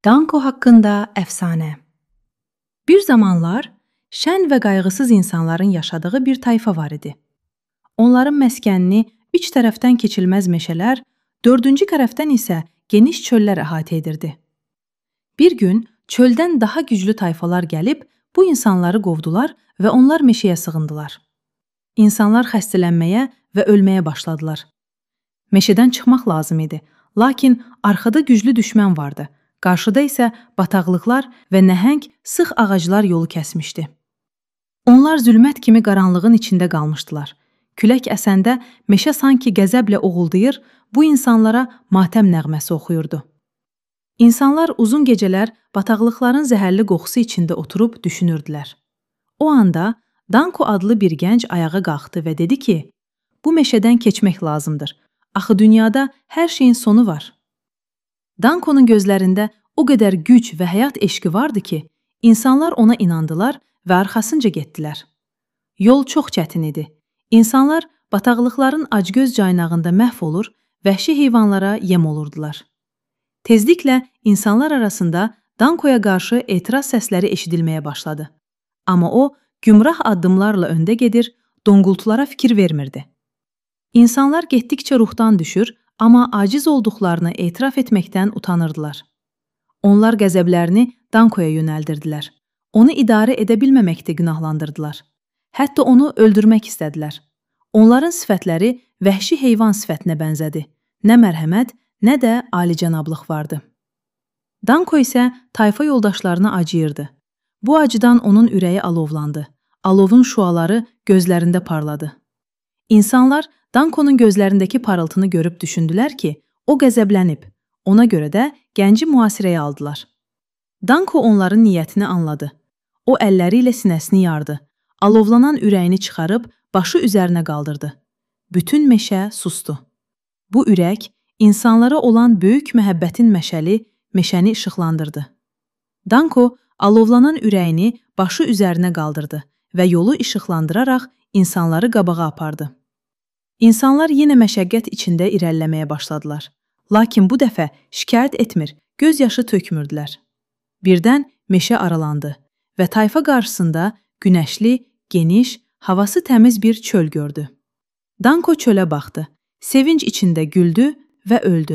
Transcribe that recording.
Danko haqqında əfsanə. Bir zamanlar şən və qayğısız insanların yaşadığı bir tayfa var idi. Onların məskənini 3 tərəfdən keçilməz meşələr, 4-cü tərəfdən isə geniş çöllər əhatə edirdi. Bir gün çöldən daha güclü tayfalar gəlib bu insanları qovdular və onlar meşəyə sığındılar. İnsanlar xəstələnməyə və ölməyə başladılar. Meşədən çıxmaq lazım idi, lakin arxada güclü düşmən vardı. Qarşıda isə bataqlıqlar və nəhəng, sıx ağaclar yolu kəsmişdi. Onlar zülmət kimi qaranlığın içində qalmışdılar. Külək əsəndə meşə sanki qəzəblə oğuldayır, bu insanlara matəm nəğməsi oxuyurdu. İnsanlar uzun gecələr bataqlıqların zəhərli qoxusu içində oturub düşünürdülər. O anda Danko adlı bir gənc ayağa qalxdı və dedi ki, bu meşədən keçmək lazımdır. Axı dünyada hər şeyin sonu var. Dankonun gözlərində o qədər güc və həyat eşqi vardı ki, insanlar ona inandılar və arxasınca getdilər. Yol çox çətin idi. İnsanlar bataqlıqların acgöz caynağında məhv olur, vəhşi heyvanlara yem olurdular. Tezliklə insanlar arasında Dankoya qarşı etiraz səsləri eşidilməyə başladı. Amma o, gümrah addımlarla öndə gedir, donqultulara fikir vermirdi. İnsanlar getdikcə ruhdan düşür, amma aciz olduqlarını etiraf etməkdən utanırdılar. Onlar qəzəblərini Dankoya yönəldirdilər. Onu idarə edə bilməməkdə günahlandırdılar. Hətta onu öldürmək istədilər. Onların sifətləri vəhşi heyvan sifətinə bənzədi. Nə mərhəmət, nə də alicənablıq vardı. Danko isə tayfa yoldaşlarına acıyırdı. Bu acıdan onun ürəyi alovlandı. Alovun şüaları gözlərində parladı. İnsanlar Dankonun gözlərindəki parıltını görüb düşündülər ki, o qəzəblənib. Ona görə də gənci mühasirəyə aldılar. Danko onların niyyətini anladı. O əlləri ilə sinəsini yardı. Alovlanan ürəyini çıxarıb başı üzərinə qaldırdı. Bütün meşə susdu. Bu ürək insanlara olan böyük məhəbbətin məşəli meşəni işıqlandırdı. Danko alovlanan ürəyini başı üzərinə qaldırdı və yolu işıqlandıraraq insanları qabağa apardı. İnsanlar yenə məşəqqət içində irəliləməyə başladılar. Lakin bu dəfə şikayət etmir, göz yaşı tökmürdülər. Birdən meşə aralandı və tayfa qarşısında günəşli, geniş, havası təmiz bir çöl gördü. Danko çölə baxdı, sevinc içində güldü və öldü.